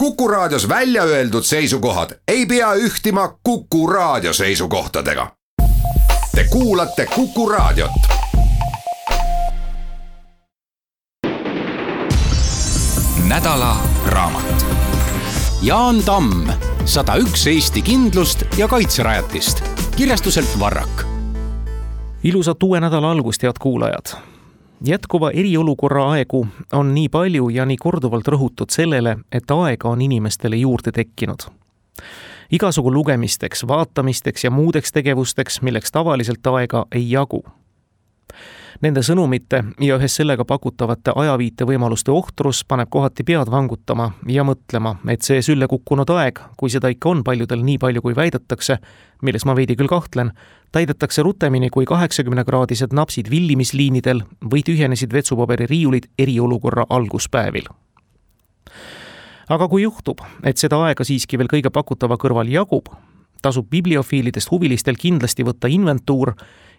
Kuku Raadios välja öeldud seisukohad ei pea ühtima Kuku Raadio seisukohtadega. Te kuulate Kuku Raadiot. Nädala raamat. Jaan Tamm, 101 Eesti kindlust ja kaitserajatist. Kirjastuselt Varrak. Ilusat uue nädala algust, head kuulajad. Jätkuva eriolukorra aegu on nii palju ja nii korduvalt rõhutud sellele, et aega on inimestele juurde tekkinud. Igasugu lugemisteks, vaatamisteks ja muudeks tegevusteks, milleks tavaliselt aega ei jagu. Nende sõnumite ja ühes sellega pakutavate ajaviite võimaluste ohtrus paneb kohati pead vangutama ja mõtlema, et see sülle kukkunud aeg, kui seda ikka on paljudel nii palju kui väidetakse, milles ma veidi küll kahtlen, täidetakse rutemini kui 80-kraadised napsid villimisliinidel või tühjenesid vetsupaberi riiulid eriolukorra alguspäevil. Aga kui juhtub, et seda aega siiski veel kõige pakutava kõrval jagub, tasub bibliofiilidest huvilistel kindlasti võtta inventuur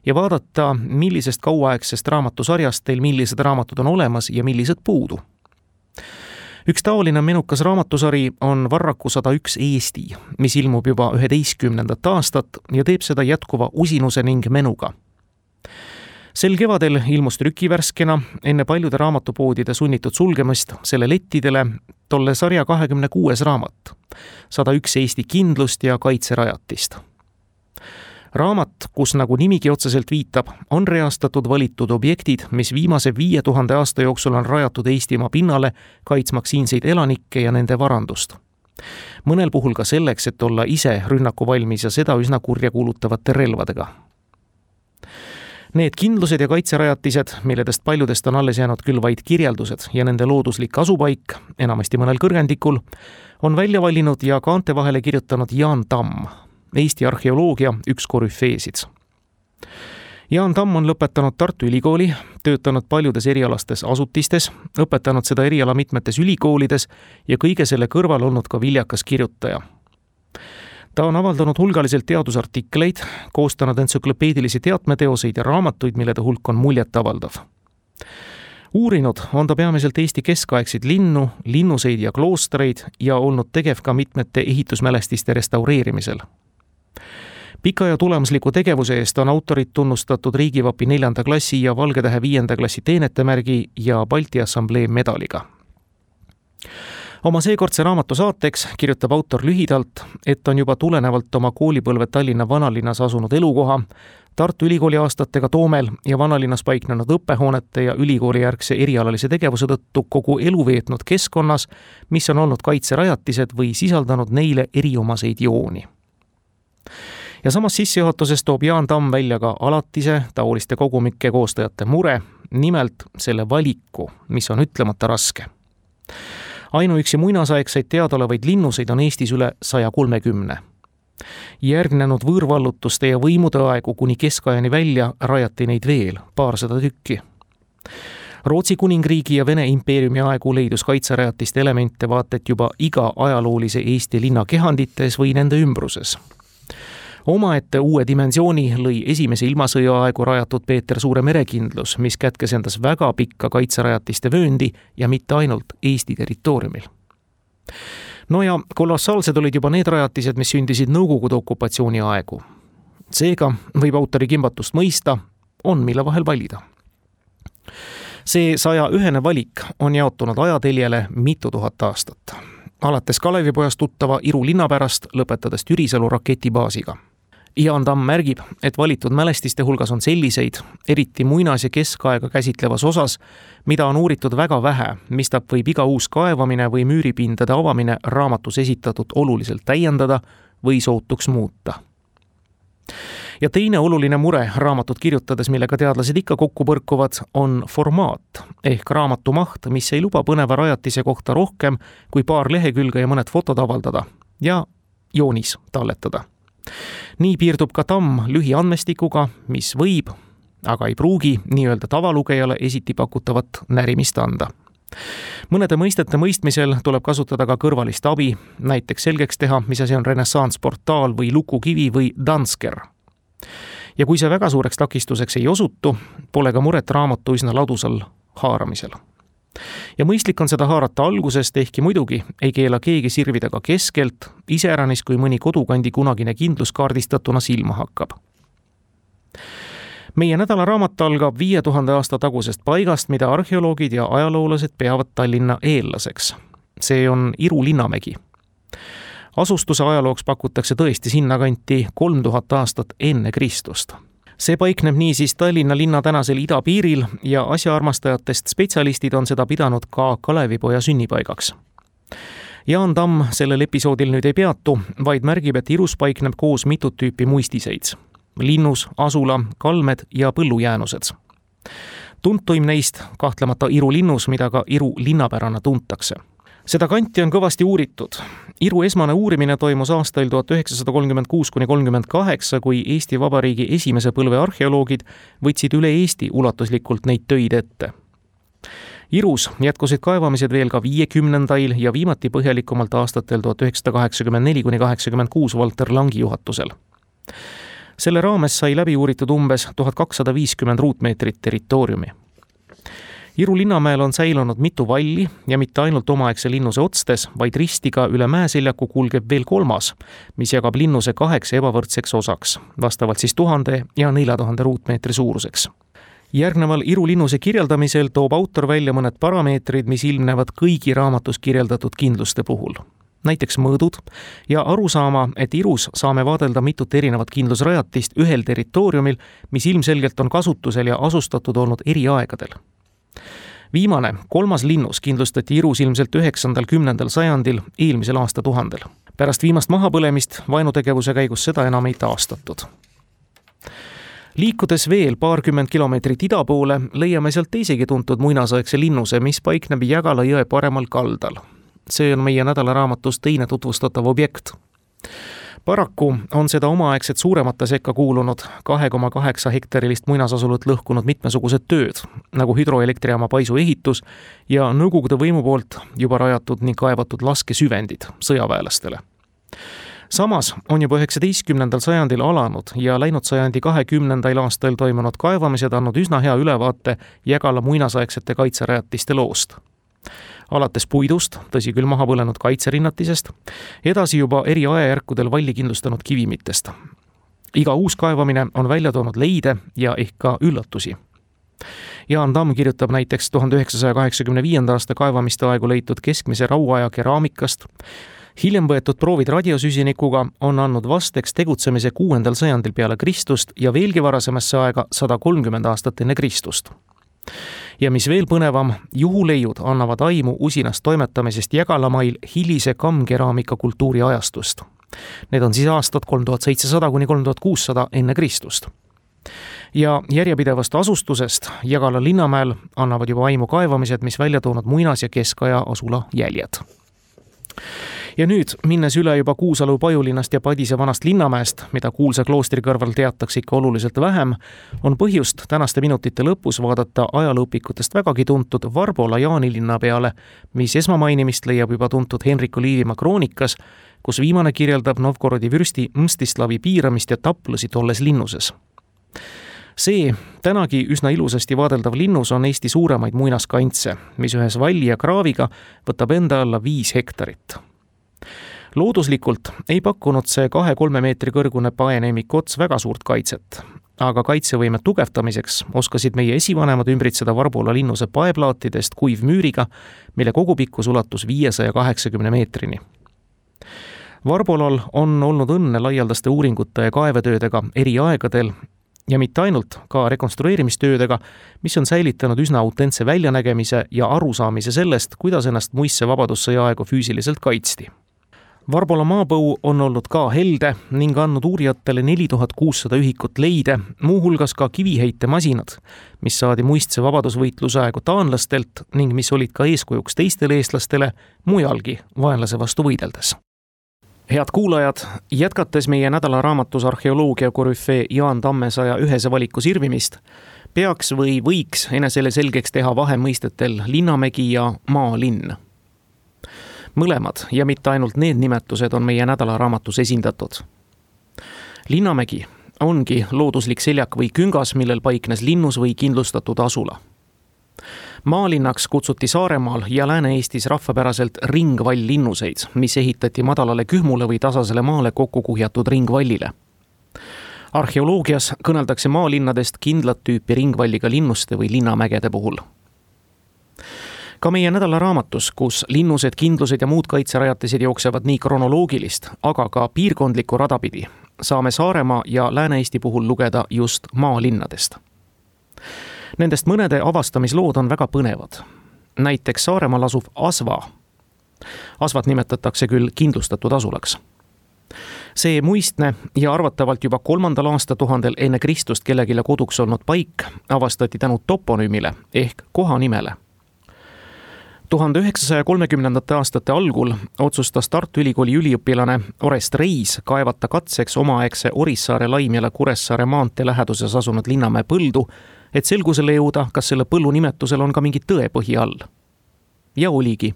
ja vaadata, millisest kauaaegsest raamatusarjast teil millised raamatud on olemas ja millised puudu. Üks taoline menukas raamatusari on Varraku 101 Eesti, mis ilmub juba 11. aastat ja teeb seda jätkuva usinuse ning menuga. Sel kevadel ilmus trükivärskena enne paljude raamatupoodide sunnitud sulgemist selle lettidele tolle sarja 26. raamat, 101 Eesti kindlust ja kaitserajatist. Raamat, kus nagu nimigi otseselt viitab, on reastatud valitud objektid, mis viimase 5000 aasta jooksul on rajatud Eestimaa pinnale, kaitsmaks siinseid elanikke ja nende varandust. Mõnel puhul ka selleks, et olla ise rünnaku valmis ja seda üsna kurja kuulutavate relvadega. Need kindlused ja kaitserajatised, milledest paljudest on alles jäänud küll vaid kirjeldused ja nende looduslik asupaik, enamasti mõnel kõrgendikul, on välja valinud ja kaante vahele kirjutanud Jaan Tamm, Eesti arheoloogia üks korüfeesid. Jaan Tamm on lõpetanud Tartu Ülikooli, töötanud paljudes erialastes asutistes, õpetanud seda eriala mitmetes ülikoolides ja kõige selle kõrval olnud ka viljakas kirjutaja. Ta on avaldanud hulgaliselt teadusartikleid, koostanud entsüklopeedilisi teatmeteoseid ja raamatuid, millede hulk on muljetavaldav. Uurinud on ta peamiselt Eesti keskaegseid linnu, linnuseid ja kloostreid ja olnud tegev ka mitmete ehitusmälestiste restaureerimisel. Pika ja tulemusliku tegevuse eest on autorid tunnustatud Riigivapi 4. klassi ja Valgetähe 5. klassi teenetemärgi ja Balti Assamblee medaliga. Oma seekordse raamatu saateks kirjutab autor lühidalt, et on juba tulenevalt oma koolipõlve Tallinna vanalinnas asunud elukoha, Tartu Ülikooli aastatega Toomel ja vanalinnas paiknenud õppehoonete ja ülikoolijärgse erialalise tegevuse tõttu kogu elu veetnud keskkonnas, mis on olnud kaitserajatised või sisaldanud neile eriomaseid jooni. Ja samas sissejuhatuses toob Jaan Tamm välja ka alatise taoliste kogumike koostajate mure, nimelt selle valiku, mis on ütlemata raske. Ainuüksi muinasaegseid teadaolevaid linnuseid on Eestis üle 130. Järgnenud võõrvallutuste ja võimude aegu kuni keskajani välja rajati neid veel paarsada tükki. Rootsi kuningriigi ja Vene impeeriumi aegu leidus kaitserajatiste elemente vaat et juba iga ajaloolise Eesti linna kehandites või nende ümbruses. Omaette uue dimensiooni lõi esimese ilmasõja aegu rajatud Peeter Suure merekindlus, mis kätkes endas väga pikka kaitserajatiste vööndi ja mitte ainult Eesti territooriumil. No ja kolossaalsed olid juba need rajatised, mis sündisid Nõukogude okupatsiooni aegu. Seega võib autori kimbatust mõista, on mille vahel valida. See 101 valik on jaotunud ajateljele mitu tuhat aastat. Alates Kalevipojast tuttava Iru linna pärast, lõpetades Türisalu raketibaasiga. Jaan Tamm märgib, et valitud mälestiste hulgas on selliseid, eriti muinas- ja keskaega käsitlevas osas, mida on uuritud väga vähe, mistap võib iga uus kaevamine või müüripindade avamine raamatus esitatud oluliselt täiendada või sootuks muuta. Ja teine oluline mure raamatut kirjutades, millega teadlased ikka kokku põrkuvad, on formaat ehk raamatu maht, mis ei luba põneva rajatise kohta rohkem kui paar lehekülge ja mõned fotod avaldada ja joonis talletada. Nii piirdub ka Tamm lühiandmestikuga, mis võib, aga ei pruugi nii-öelda tavalugejale esiti pakutavat närimist anda. Mõnede mõistete mõistmisel tuleb kasutada ka kõrvalist abi, näiteks selgeks teha, mis asi on renessansportaal või lukukivi või Dansker. Ja kui see väga suureks takistuseks ei osutu, pole ka muret raamatu üsna ladusal haaramisel. Ja mõistlik on seda haarata algusest, ehkki muidugi ei keela keegi sirvida ka keskelt, iseäranis kui mõni kodukandi kunagine kindlus kaardistatuna silma hakkab. Meie nädalaraamat algab 5000 aasta tagusest paigast, mida arheoloogid ja ajaloolased peavad Tallinna eellaseks. See on Iru linnamägi. Asustuse ajalooks pakutakse tõesti sinnakanti 3000 aastat enne Kristust. See paikneb niisiis Tallinna linna tänasel idapiiril ja asjaarmastajatest spetsialistid on seda pidanud ka Kalevipoja sünnipaigaks. Jaan Tamm sellel episoodil nüüd ei peatu, vaid märgib, et Irus paikneb koos mitut tüüpi muistiseid. Linnus, asula, kalmed ja põllujäänused. Tuntuim neist kahtlemata Iru linnus, mida ka Iru linnapärana tuntakse. Seda kanti on kõvasti uuritud. Iru esmane uurimine toimus aastail 1936–38, kui Eesti Vabariigi esimese põlve arheoloogid võtsid üle Eesti ulatuslikult neid töid ette. Irus jätkusid kaevamised veel ka 50. ja viimati põhjalikumalt aastatel 1984–86 Valter Langi juhatusel. Selle raames sai läbi uuritud umbes 1250 ruutmeetrit territooriumi. Iru linnamäel on säilunud mitu valli ja mitte ainult omaaegse linnuse otstes, vaid ristiga üle mäeseljaku kulgeb veel kolmas, mis jagab linnuse 8 ebavõrdseks osaks, vastavalt siis 1000 ja 4000 ruutmeetri suuruseks. Järgneval Iru linnuse kirjeldamisel toob autor välja mõned parameetrid, mis ilmnevad kõigi raamatus kirjeldatud kindluste puhul. Näiteks mõõdud ja arusaama, et Irus saame vaadelda mitut erinevat kindlusrajatist ühel territooriumil, mis ilmselgelt on kasutusel ja asustatud olnud eri aegadel. Viimane, 3. linnus kindlustati Irus ilmselt 9.–10. sajandil eelmisel aastatuhandel. Pärast viimast mahapõlemist vaenutegevuse käigus seda enam ei taastatud. Liikudes veel paarkümmend kilomeetrit ida poole, leiame sealt teisegi tuntud muinasaegse linnuse, mis paikneb Jägala jõe paremal kaldal. See on meie nädalaraamatust teine tutvustatav objekt. Paraku on seda omaaegset suuremate sekka kuulunud 2,8 hektarilist muinasasulut lõhkunud mitmesugused tööd, nagu hüdroelektrijaama paisu ehitus ja Nõukogude võimu poolt juba rajatud ning kaevatud laskesüvendid sõjaväelastele. Samas on juba 19. sajandil alanud ja läinud sajandi 20. aastal toimunud kaevamised andnud üsna hea ülevaate Jägala muinasaegsete kaitserajatiste loost. Alates puidust, tõsi küll maha põlenud kaitseerinnatisest, edasi juba eri ajajärkudel valli kindlustanud kivimitest. Iga uus kaevamine on välja toonud leide ja ehk ka üllatusi. Jaan Tamm kirjutab näiteks 1985. aasta kaevamiste aegu leitud keskmise rauaaja keraamikast. Hiljem võetud proovid radiosüsinikuga on andnud vasteks tegutsemise 6. sajandil peale Kristust ja veelgi varasemasse aega 130 aastat enne Kristust. Ja mis veel põnevam, juhuleiud annavad aimu usinast toimetamisest Jägalamail hilise kammkeraamika kultuuri ajastust. Need on siis aastad 3700–3600 enne Kristust. Ja järjepidevast asustusest Jägala linnamäel annavad juba aimu kaevamised, mis välja toonud muinas- ja keskaja asula jäljed. Ja nüüd, minnes üle juba Kuusalu Pajulinnast ja Padise vanast linnamäest, mida kuulsa kloostri kõrval teatakse ikka oluliselt vähem, on põhjust tänaste minutite lõpus vaadata ajalooõpikutest vägagi tuntud Varbola Jaanilinna peale, mis esmamainimist leiab juba tuntud Henriku Liivimaa kroonikas, kus viimane kirjeldab Novgorodi vürsti Mstislavi piiramist ja taplusi tolles linnuses. See tänagi üsna ilusasti vaadeldav linnus on Eesti suuremaid muinaskantse, mis ühes valli ja kraaviga võtab enda alla 5 hektarit. Looduslikult ei pakkunud see 2-3 meetri kõrgune paeneemik ots väga suurt kaitset, aga kaitsevõime tugevdamiseks oskasid meie esivanemad ümbritseda Varbola linnuse paeplaatidest kuivmüüriga, mille kogupikkus ulatus 580 meetrini. Varbolal on olnud õnne laialdaste uuringute ja kaevetöödega eri aegadel ja mitte ainult ka rekonstrueerimistöödega, mis on säilitanud üsna autentse väljanägemise ja arusaamise sellest, kuidas ennast muisse vabadussõja aegu füüsiliselt kaitsti. Varbola maapõu on olnud ka helde ning andnud uurijatele 4600 ühikut leide, muuhulgas ka kiviheitemasinad, mis saadi muistse vabadusvõitluse aegu taanlastelt ning mis olid ka eeskujuks teistele eestlastele mujalgi vaenlase vastu võideldes. Head kuulajad, jätkates meie nädalaraamatus arheoloogia korüfee Jaan Tamme 101 valiku sirvimist, peaks või võiks enesele selgeks teha vahemõistetel linnamägi ja maalinn. Mõlemad ja mitte ainult need nimetused on meie nädalaraamatus esindatud. Linnamägi ongi looduslik seljak või küngas, millel paiknes linnus või kindlustatud asula. Maalinnaks kutsuti Saaremaal ja Lääne-Eestis rahvapäraselt ringvall-linnuseid, mis ehitati madalale kühmule või tasasele maale kokku kuhjatud ringvallile. Arheoloogias kõneldakse maalinnadest kindlat tüüpi ringvalliga linnuste või linnamägede puhul. Ka meie nädalaraamatus, kus linnused, kindlused ja muud kaitserajatised jooksevad nii kronoloogilist, aga ka piirkondlikku radapidi, saame Saaremaa ja Lääne-Eesti puhul lugeda just maalinnadest. Nendest mõnede avastamislood on väga põnevad. Näiteks Saaremaal asuv Asva. Asvat nimetatakse küll kindlustatud asulaks. See muistne ja arvatavalt juba 3. aastatuhandel enne Kristust kellegile koduks olnud paik avastati tänu toponüümile ehk kohanimele. 1930. aastate algul otsustas Tartu Ülikooli üliõpilane Orest Reis kaevata katseks omaaegse Orissaare, Laimjala, Kuressaare maantee läheduses asunud Linnamäe põldu, et selgusele jõuda, kas selle põllu nimetusel on ka mingi tõepõhi all. Ja oligi.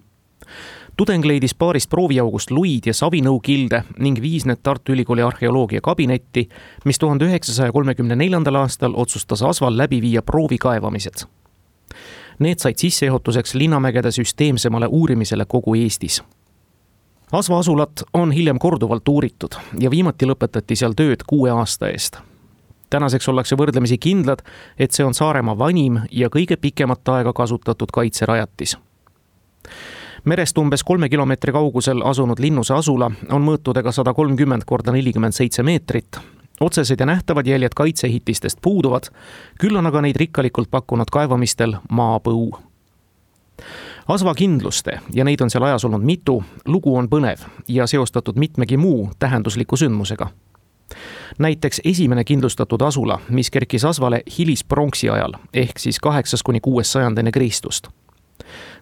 Tudeng leidis paarist prooviaugust luid ja savinõukilde ning viis need Tartu Ülikooli arheoloogia kabinetti, mis 1934. aastal otsustas Asval läbi viia proovikaevamised. Need said sissejuhatuseks linnamägede süsteemsemale uurimisele kogu Eestis. Asva asulat on hiljem korduvalt uuritud ja viimati lõpetati seal tööd 6 aasta eest. Tänaseks ollakse võrdlemisi kindlad, et see on Saaremaa vanim ja kõige pikemat aega kasutatud kaitserajatis. Merest umbes 3 kilomeetri kaugusel asunud linnuse asula on mõõtudega 130 × 47 meetrit. Otsesed ja nähtavad jäljed kaitseehitistest puuduvad, küll on aga neid rikkalikult pakkunud kaevamistel maapõu. Asva kindluste, ja neid on seal ajas olnud mitu, lugu on põnev ja seostatud mitmegi muu tähendusliku sündmusega. Näiteks esimene kindlustatud asula, mis kerkis Asvale hilispronksi ajal, ehk siis 8–6 sajand enne Kristust.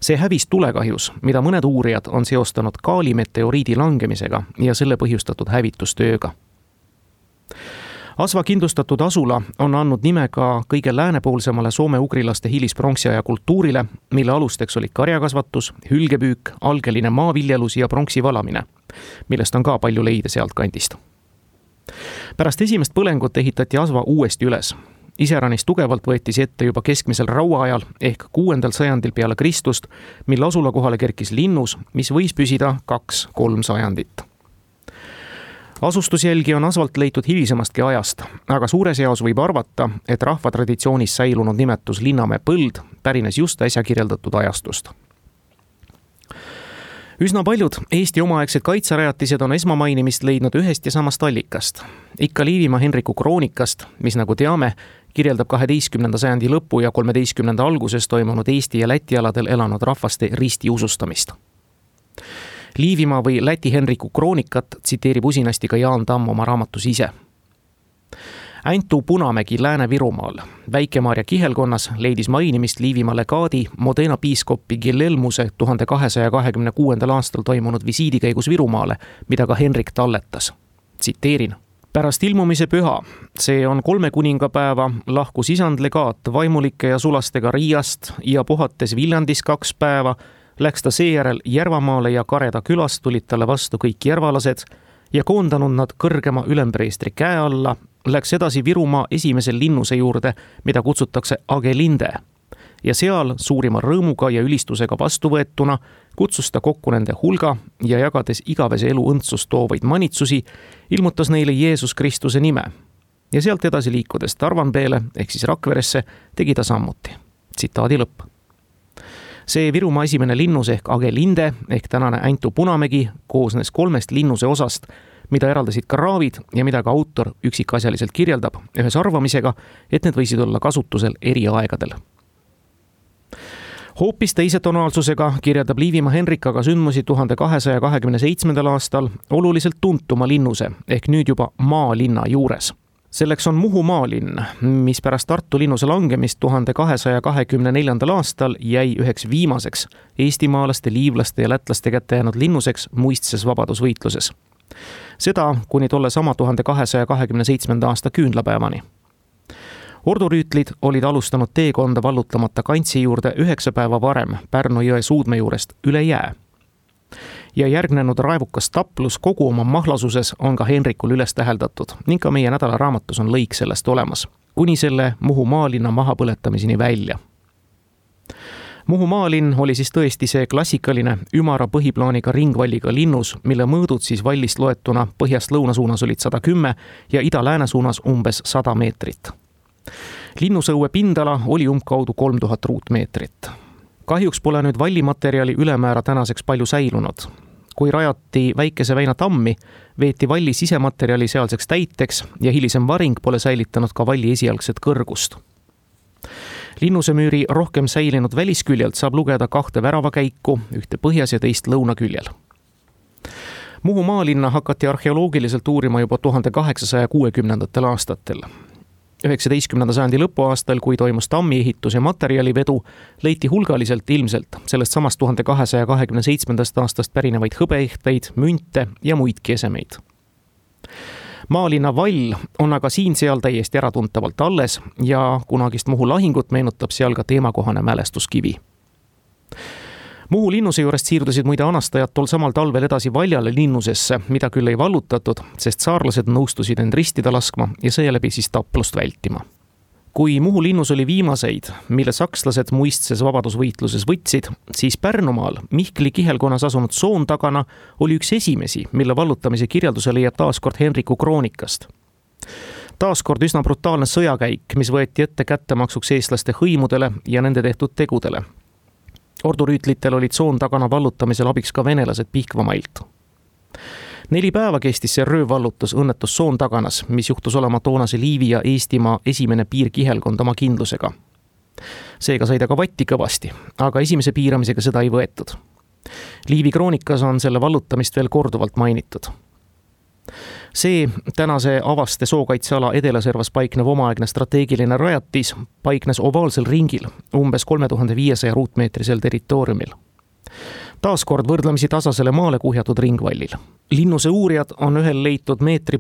See hävis tulekahjus, mida mõned uurijad on seostanud kaalimeteoriidi langemisega ja selle põhjustatud hävitustööga. Asva kindlustatud asula on andnud nime ka kõige läänepoolsemale soome-ugrilaste hilispronksi aja kultuurile, mille alusteks olid karjakasvatus, hülgepüük, algeline maaviljelus ja pronksi valamine, millest on ka palju leide sealt kandist. Pärast esimest põlengut ehitati Asva uuesti üles. Iseäranis tugevalt võeti see ette juba keskmisel rauaajal ehk 6. sajandil peale Kristust, mille asula kohale kerkis linnus, mis võis püsida 2–3 sajandit. Asustusjälgi on Asvalt leitud hilisemastki ajast, aga suures eos võib arvata, et rahvatraditsioonis säilunud nimetus Linnamäe põld pärines just äsja kirjeldatud ajastust. Üsna paljud Eesti omaaegsed kaitserajatised on esmamainimist leidnud ühest ja samast allikast. Ikka Liivimaa Henriku kroonikast, mis nagu teame, kirjeldab 12. sajandi lõpu ja 13. alguses toimunud Eesti ja Läti aladel elanud rahvaste ristiusustamist. Liivimaa või Läti Henriku kroonikat tsiteerib usinasti ka Jaan Tamm oma raamatus ise. Aintu Punamägi Lääne-Virumaal, Väike-Maarja kihelkonnas leidis mainimist Liivimaa legaadi Modena piiskopi Gillelmuse 1226. aastal toimunud visiidi käigus Virumaale, mida ka Henrik talletas. Tsiteerin. Pärast ilmumise püha, see on 3 kuningapäeva, lahkus isand legaat vaimulike ja sulastega Riiast ja puhates Viljandis 2 päeva, läks ta seejärel Järvamaale ja Kareda külast tulid talle vastu kõik järvalased ja koondanud nad kõrgema ülempreestri käe alla, läks edasi Virumaa esimesel linnuse juurde, mida kutsutakse Agelinde. Ja seal suurima rõõmuga ja ülistusega vastuvõetuna kutsus ta kokku nende hulga ja jagades igavese elu õndsust toovaid manitsusi, ilmutas neile Jeesus Kristuse nime. Ja sealt edasi liikudes Tarvanpeele ehk siis Rakveresse tegi ta sammuti. Tsitaadi lõpp. See Virumaa esimene linnus ehk Agelinde ehk tänane Aintu Punamägi koosnes 3 linnuse osast, mida eraldasid ka raavid ja mida ka autor üksikasjaliselt kirjeldab ühes arvamisega, et need võisid olla kasutusel eri aegadel. Hoopis teise tonaalsusega kirjeldab Liivimaa Henrik aga sündmusi 1227. aastal oluliselt tuntuma linnuse ehk nüüd juba maalinna juures. Selleks on Muhu maalinn, mis pärast Tartu linnuse langemist 1224. aastal jäi üheks viimaseks eestimaalaste, liivlaste ja lätlaste kätte jäänud linnuseks muistses vabadusvõitluses. Seda kuni tolle sama 1227. aasta küünlapäevani. Ordurüütlid olid alustanud teekonda vallutamata kantsi juurde 9 päeva varem Pärnu jõe suudme juurest üle jää. Ja järgnenud raevukas taplus kogu oma mahlasuses on ka Henrikul üles täheldatud ning ka meie nädalaraamatus on lõik sellest olemas, kuni selle Muhu maalinna mahapõletamiseni välja. Muhu maalinn oli siis tõesti see klassikaline ümara põhiplaaniga ringvalliga linnus, mille mõõdud siis vallist loetuna põhjast lõuna suunas olid 110 ja ida-lääne suunas umbes 100 meetrit. Linnusõue pindala oli umbkaudu 3000 ruutmeetrit. Kahjuks pole nüüd vallimaterjali ülemäära tänaseks palju säilunud. Kui rajati Väikese Väina tammi, veeti valli sisematerjali sealseks täiteks ja hilisem varing pole säilitanud ka valli esialgset kõrgust. Linnusemüüri rohkem säilinud välisküljelt saab lugeda 2 väravakäiku, ühte põhjas ja teist lõunaküljel. Muhu maalinna hakati arheoloogiliselt uurima juba 1860. aastatel. 19. sajandi lõpuaastal, kui toimus tammi ehitus ja materjalivedu, leiti hulgaliselt ilmselt sellest samast 1227. aastast pärinevaid hõbeehtveid, münte ja muidki esemeid. Maalinna vall on aga siin-seal täiesti äratuntavalt alles ja kunagist Muhu lahingut meenutab seal ka teemakohane mälestuskivi. Muhu linnuse juurest siirdusid muide anastajad tol samal talvel edasi Valjale linnusesse, mida küll ei vallutatud, sest saarlased nõustusid end ristida laskma ja seeläbi siis taplust vältima. Kui Muhu linnus oli viimaseid, mille sakslased muistses vabadusvõitluses võtsid, siis Pärnumaal Mihkli kihelkonnas asunud Soontagana oli üks esimesi, mille vallutamise kirjelduse leiab taaskord Henriku kroonikast. Taaskord üsna brutaalne sõjakäik, mis võeti ette kättemaksuks eestlaste hõimudele ja nende tehtud tegudele. Ordurüütlitel olid Soontagana vallutamisel abiks ka venelased Pihkvamailt. 4 päeva kestis see röövvallutus õnnetus Soontaganas, mis juhtus olema toonase Liivi ja Eestimaa esimene piirkihelkond oma kindlusega. Seega sai ta ka vatti kõvasti, aga esimese piiramisega seda ei võetud. Liivi kroonikas on selle vallutamist veel korduvalt mainitud. See tänase Avaste sookaitseala Edelaservas paiknev omaaegne strateegiline rajatis paiknes ovaalsel ringil umbes 3500 ruutmeetrisel territooriumil. Taaskord võrdlemisi tasasele maale kuhjatud ringvallil. Linnuse uurijad on ühel leitud 1,5 meetri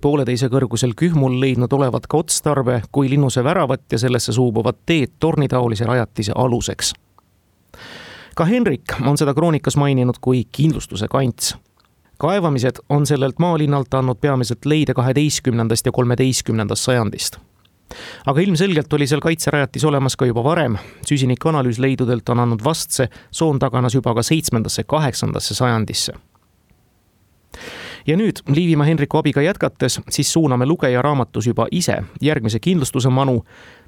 kõrgusel kühmul leidnud olevat ka otstarbe kui linnuse väravat ja sellesse suubuvat teed tornitaolise rajatise aluseks. Ka Henrik on seda kroonikas maininud kui kindlustuse kants. Kaevamised on sellelt maalinnalt andnud peamiselt leide 12. ja 13. sajandist. Aga ilmselgelt oli seal kaitserajatis olemas ka juba varem. Süsinikanalüüs leidudelt on andnud vastse Soontaganas juba ka 7. ja 8. sajandisse. Ja nüüd Liivimaa Henriku abiga jätkates, siis suuname lugeja raamatus juba ise järgmise kindlustuse manu,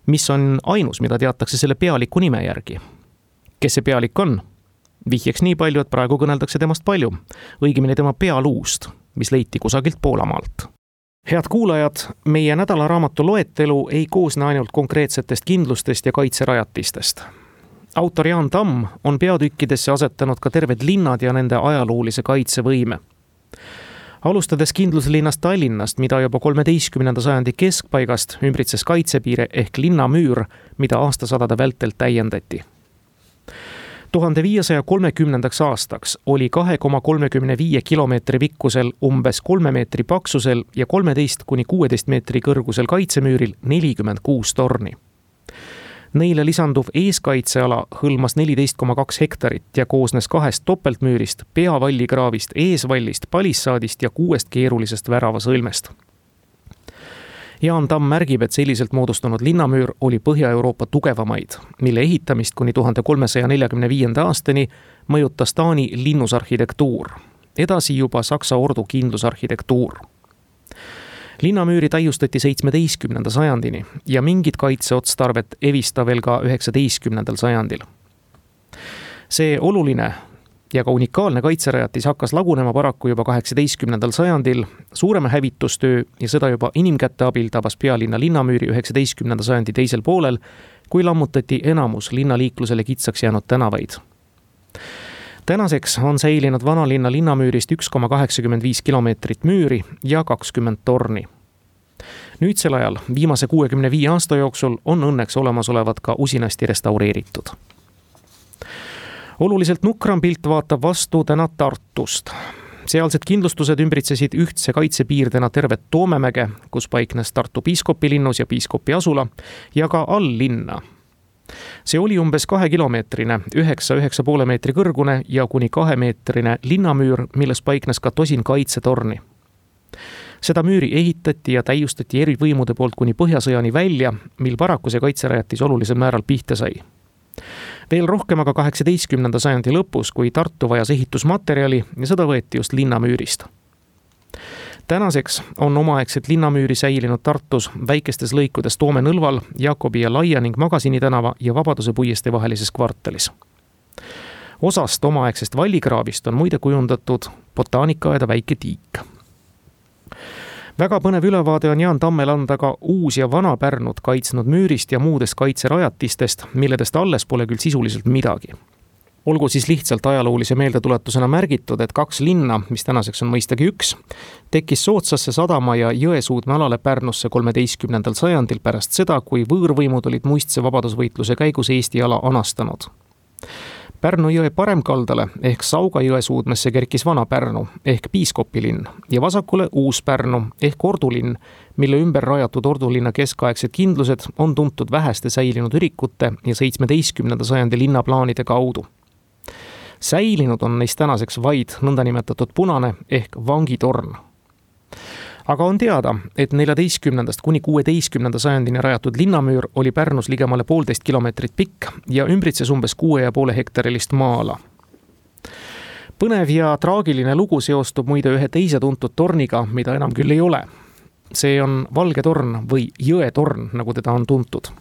mis on ainus, mida teatakse selle pealiku nime järgi. Kes see pealik on? Vihjeks nii palju, et praegu kõneldakse temast palju, õigemini tema pealuust, mis leiti kusagilt Poolamaalt. Head kuulajad, meie nädalaraamatu loetelu ei koosne ainult konkreetsetest kindlustest ja kaitserajatistest. Autor Jaan Tamm on peatükkidesse asetanud ka terved linnad ja nende ajaloolise kaitsevõime. Alustades kindluslinnast Tallinnast, mida juba 13. sajandi keskpaigast ümbritses kaitsepiire ehk linnamüür, mida aastasadade vältel täiendati. 1530. aastaks oli 2,35 kilomeetri pikkusel, umbes 3 meetri paksusel ja 13–16 meetri kõrgusel kaitsemüüril 46 torni. Neile lisanduv eeskaitseala hõlmas 14,2 hektarit ja koosnes 2 topeltmüürist, peavallikraavist, eesvallist, palissaadist ja 6 keerulisest väravasõlmest. Jaan Tamm märgib, et selliselt moodustunud linnamüür oli Põhja-Euroopa tugevamaid, mille ehitamist kuni 1345. aastani mõjutas Taani linnusarhitektuur, edasi juba Saksa ordu kindlusarhitektuur. Linnamüüri täiustati 17. sajandini ja mingid kaitseotstarvet evista veel ka 19. sajandil. See oluline ja ka unikaalne kaitserajatis hakkas lagunema paraku juba 18. sajandil. Suurema hävitustöö ja seda juba inimkätte abil tabas pealinna linnamüüri 19. sajandi teisel poolel, kui lammutati enamus linnaliiklusele kitsaks jäänud tänavaid. Tänaseks on säilinud vanalinna linnamüürist 1,85 kilomeetrit müüri ja 20 torni. Nüüdsel ajal, viimase 65 aasta jooksul, on õnneks olemasolevad ka usinasti restaureeritud. Oluliselt nukram pilt vaatab vastu täna Tartust. Sealsed kindlustused ümbritsesid ühtse kaitsepiirdena tervet Toomemäge, kus paiknes Tartu piiskopilinnus ja piiskopi asula, ja ka all-linna. See oli umbes 2-kilomeetrine, 9,5 meetri kõrgune ja kuni 2-meetrine linnamüür, milles paiknes ka tosin kaitsetorni. Seda müüri ehitati ja täiustati eri võimude poolt kuni Põhjasõjani välja, mil paraku see kaitserajatis olulisel määral pihta sai. Veel rohkem aga 18. sajandi lõpus, kui Tartu vajas ehitusmaterjali ja seda võeti just linnamüürist. Tänaseks on omaaegset linnamüüri säilinud Tartus väikestes lõikudes Toome nõlval, Jakobi ja Laia ning Magasini tänava ja Vabaduse puiestee vahelises kvartalis. Osast omaaegsest vallikraavist on muide kujundatud botaanikaaeda väike tiik. Väga põnev ülevaade on Jaan Tammel anda ka uus ja vana Pärnut kaitsnud müürist ja muudest kaitserajatistest, milledest alles pole küll sisuliselt midagi. Olgu siis lihtsalt ajaloolise meeldetuletusena märgitud, et 2 linna, mis tänaseks on mõistagi 1, tekkis Sootsasse sadama ja Jõesuudme alale Pärnusse 13. sajandil pärast seda, kui võõrvõimud olid muistse vabadusvõitluse käigus Eesti ala anastanud. Pärnu jõe paremkaldale ehk Sauga Jõesuudmesse kerkis Vana Pärnu ehk Piiskopilinn ja vasakule Uus Pärnu ehk Ordulinn, mille ümber rajatud Ordulinna keskaegsed kindlused on tuntud väheste säilinud ürikute ja 17. sajandi linnaplaanide kaudu. Säilinud on neist tänaseks vaid nõndanimetatud punane ehk vangitorn. Aga on teada, et 14. kuni 16. sajandini rajatud linnamüür oli Pärnus ligemale 1,5 kilomeetrit pikk ja ümbritses umbes 6,5 hektarilist maa-ala. Põnev ja traagiline lugu seostub muide ühe teise tuntud torniga, mida enam küll ei ole. See on Valge torn või Jõetorn, nagu teda on tuntud.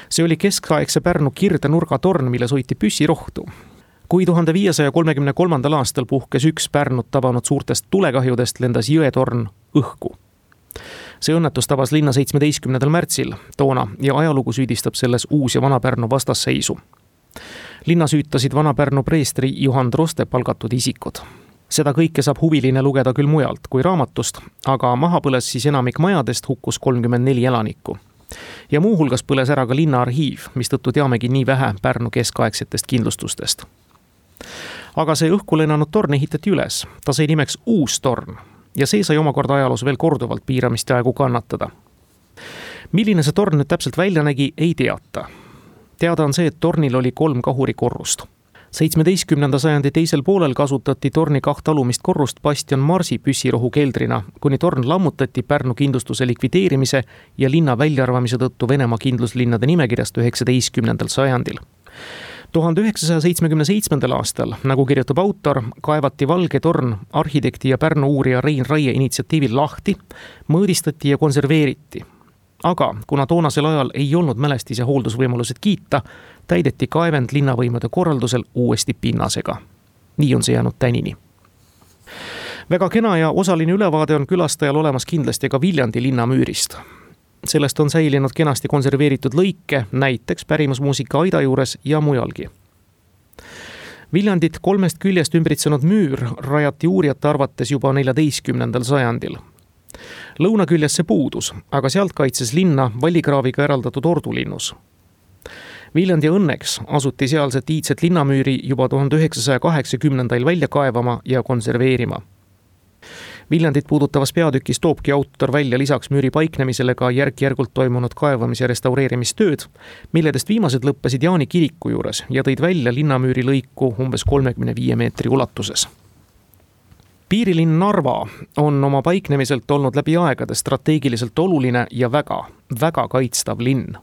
See oli keskaegse Pärnu kirdenurgatorn, milles hoiti püssirohtu. Kui 1533. aastal puhkes üks Pärnut tabanud suurtest tulekahjudest, lendas Jõetorn õhku. See õnnetus tabas linna 17. märtsil toona ja ajalugu süüdistab selles Uus- ja Vana-Pärnu vastasseisu. Linna süütasid Vana-Pärnu preestri Juhan Troste palgatud isikud. Seda kõike saab huviline lugeda küll mujalt kui raamatust, aga maha põles siis enamik majadest, hukkus 34 elanikku. Ja muuhulgas põles ära ka linna arhiiv, mistõttu teamegi nii vähe Pärnu keskaegsetest kindlustustest. Aga see õhku lennanud torn ehitati üles, ta sai nimeks Uus torn ja see sai omakorda ajaloos veel korduvalt piiramist ja aegu kannatada. Milline see torn nüüd täpselt välja nägi, ei teata. Teada on see, et tornil oli 3 kahurikorrust. 17. sajandi teisel poolel kasutati torni 2 alumist korrust Bastion Marsi püssirohu keldrina, kuni torn lammutati Pärnu kindlustuse likvideerimise ja linna väljaarvamise tõttu Venemaa kindluslinnade nimekirjast 19. sajandil. 1977. aastal, nagu kirjutab autor, kaevati Valge torn arhitekti ja Pärnu uurija Rein Raie initsiatiivil lahti, mõõdistati ja konserveeriti. Aga kuna toonasel ajal ei olnud mälestise hooldusvõimalused kiita, täideti kaevend linnavõimude korraldusel uuesti pinnasega. Nii on see jäänud tänini. Väga kena ja osaline ülevaade on külastajal olemas kindlasti ka Viljandi linnamüürist. Sellest on säilinud kenasti konserveeritud lõike, näiteks pärimusmuusika aida juures ja mujalgi. Viljandit 3 küljest ümbritsenud müür rajati uurijate arvates juba 14. sajandil. Lõunaküljes see puudus, aga sealt kaitses linna vallikraaviga eraldatud Ordulinnus. Viljandi õnneks asuti sealset iidset linnamüüri juba 1980. välja kaevama ja konserveerima. Viljandit puudutavas peatükis toobki autor välja lisaks müüri paiknemisele ka järk-järgult toimunud kaevamis- ja restaureerimistööd, milledest viimased lõppesid Jaani kiriku juures ja tõid välja linnamüüri lõiku umbes 35 meetri ulatuses. Piirilinn Narva on oma paiknemiselt olnud läbi aegade strateegiliselt oluline ja väga kaitstav linn.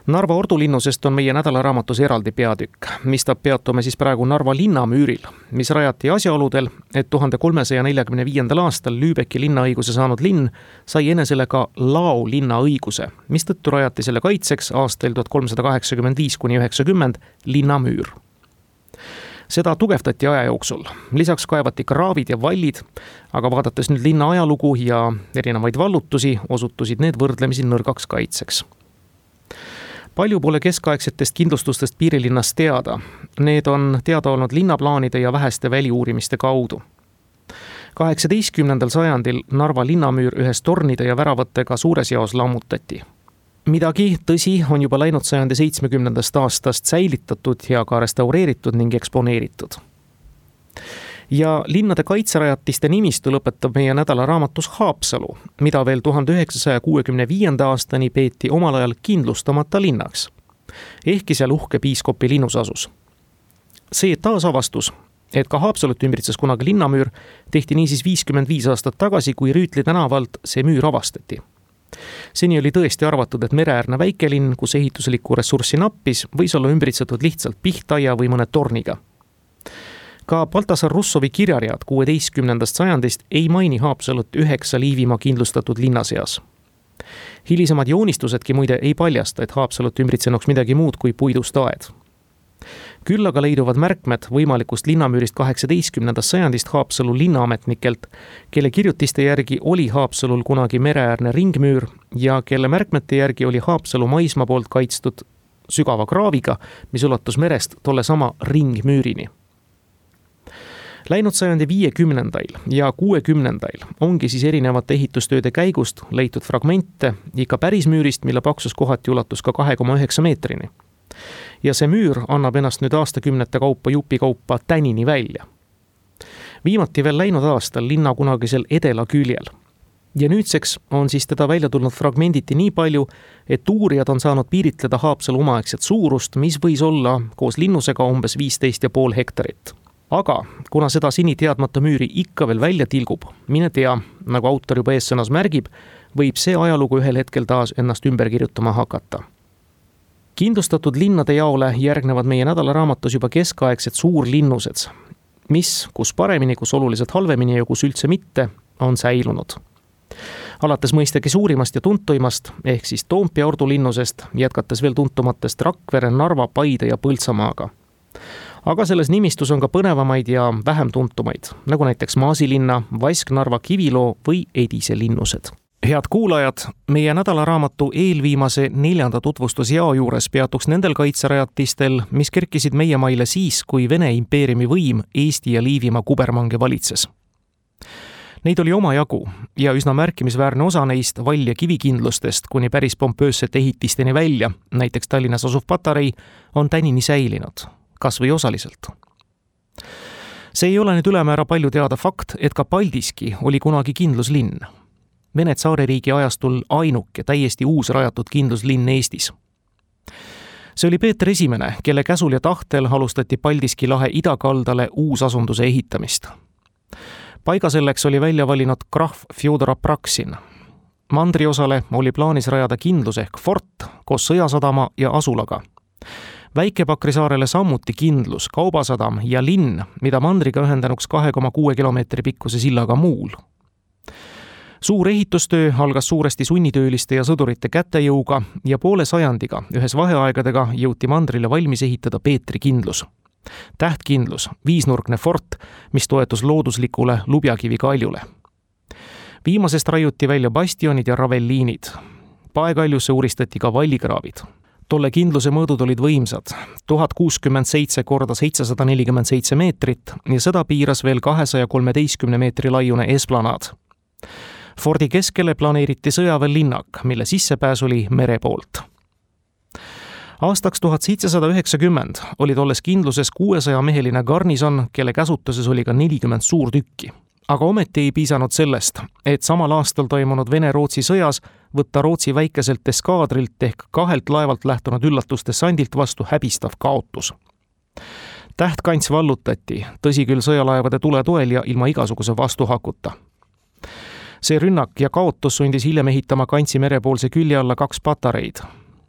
Narva ordulinnusest on meie nädalaraamatus eraldi peatükk, mistap peatume siis praegu Narva linnamüüril, mis rajati asjaoludel, et 1345. aastal Lübecki linnaõiguse saanud linn sai enesele ka lao linnaõiguse, mistõttu rajati selle kaitseks aastail 1385–90 linnamüür. Seda tugevdati aja jooksul, lisaks kaevati kraavid ja vallid, aga vaadates nüüd linna ajalugu ja erinevaid vallutusi, osutusid need võrdlemisi nõrgaks kaitseks. Palju pole keskaegsetest kindlustustest piirilinnas teada. Need on teada olnud linnaplaanide ja väheste väliuurimiste kaudu. 18. sajandil Narva linnamüür ühes tornide ja väravatega suures jaos lammutati. Midagi, tõsi, on juba läinud 170. aastast säilitatud ja ka restaureeritud ning eksponeeritud. Ja linnade kaitserajatiste nimistu lõpetab meie nädalaraamatus Haapsalu, mida veel 1965. aastani peeti omal ajal kindlustamata linnaks. Ehkki seal uhke Piiskopi linnus asus. See taasavastus, et ka Haapsalut ümbritses kunagi linnamüür, tehti niisiis 55 aastat tagasi, kui Rüütli tänavalt see müür avastati. Seni oli tõesti arvatud, et mereäärne väikelinn, kus ehituslikku ressurssi nappis, võis olla ümbritsetud lihtsalt pihtaia või mõne torniga. Ka Baltasar Russovi kirjaread 16. sajandist ei maini Haapsalut 9 Liivimaa kindlustatud linna seas. Hilisemad joonistusedki muide ei paljasta, et Haapsalut ümbritsenuks midagi muud kui puidust aed. Küll aga leiduvad märkmed võimalikust linnamüürist 18. sajandist Haapsalu linnaametnikelt, kelle kirjutiste järgi oli Haapsalul kunagi mereäärne ringmüür ja kelle märkmete järgi oli Haapsalu maismaa poolt kaitstud sügava kraaviga, mis ulatus merest tolle sama ringmüürini. Läinud sajandi 50. ja 60. ongi siis erinevate ehitustööde käigust leitud fragmente ikka päris müürist, mille paksus kohati ulatus ka 2,9 meetrini. Ja see müür annab ennast nüüd aastakümnete kaupa jupikaupa tänini välja. Viimati veel läinud aastal linna kunagisel edela küljel. Ja nüüdseks on siis teda välja tulnud fragmenditi nii palju, et uurijad on saanud piiritleda Haapsalu omaaegset suurust, mis võis olla koos linnusega umbes 15,5 hektarit. Aga kuna seda seni teadmata müüri ikka veel välja tilgub, mine tea, nagu autor juba eessõnas märgib, võib see ajalugu ühel hetkel taas ennast ümber kirjutama hakata. Kindlustatud linnade jaole järgnevad meie nädalaraamatus juba keskaegsed suurlinnused, mis, kus paremini, kus oluliselt halvemini ja kus üldse mitte, on säilunud. Alates mõistagi suurimast ja tuntuimast, ehk siis Toompea ordulinnusest, jätkates veel tuntumatest Rakvere, Narva, Paide ja Põltsamaaga. Aga selles nimistus on ka põnevamaid ja vähem tuntumaid, nagu näiteks Maasilinna, Vasknarva, Kiviloo või Edise linnused. Head kuulajad, meie nädalaraamatu eelviimase 4. tutvustusjao juures peatuks nendel kaitserajatistel, mis kerkisid meie maile siis, kui Vene impeeriumi võim Eesti ja Liivimaa kubermange valitses. Neid oli omajagu ja üsna märkimisväärne osa neist vall- ja kivikindlustest kuni päris pompöössete ehitisteni välja, näiteks Tallinnas asuv patarei, on tänini säilinud, kas või osaliselt. See ei ole nüüd ülemäära palju teada fakt, et ka Paldiski oli kunagi kindluslinn. Vene tsaaririigi ajastul ainuke täiesti uus rajatud kindluslinn Eestis. See oli Peeter I, kelle käsul ja tahtel alustati Paldiski lahe idakaldale uusasunduse ehitamist. Paiga selleks oli välja valinud krahv Fjodor Apraksin. Mandriosale oli plaanis rajada kindlus ehk fort koos sõjasadama ja asulaga. Väike-Pakri saarele sammuti kindlus, kaubasadam ja linn, mida mandriga ühendanuks 2,6 kilomeetri pikkuse sillaga Muul. Suur ehitustöö algas suuresti sunnitööliste ja sõdurite kätejõuga ja poole sajandiga ühes vaheaegadega jõuti mandrile valmis ehitada Peetri kindlus. Tähtkindlus, viisnurkne fort, mis toetus looduslikule Lubjakivi kaljule. Viimasest raiuti välja bastionid ja ravelliinid. Paekaljusse uuristati ka vallikraavid. Tolle kindluse mõõdud olid võimsad, 1067 korda 747 meetrit ja seda piiras veel 213 meetri laiune esplanaad. Fordi keskele planeeriti sõjaväelinnak, mille sissepääs oli mere poolt. Aastaks 1790 oli tolles kindluses 600-meheline garnison, kelle käsutuses oli ka 40 suurtükki. Aga ometi ei piisanud sellest, et samal aastal toimunud Vene-Rootsi sõjas võtta Rootsi väikeselt eskaadrilt ehk 2 laevalt lähtunud üllatusdessandilt vastu häbistav kaotus. Tähtkants vallutati, tõsi küll sõjalaevade tule toel ja ilma igasuguse vastuhakuta. See rünnak ja kaotus sundis hiljem ehitama Kantsi merepoolse külje alla 2 patareid.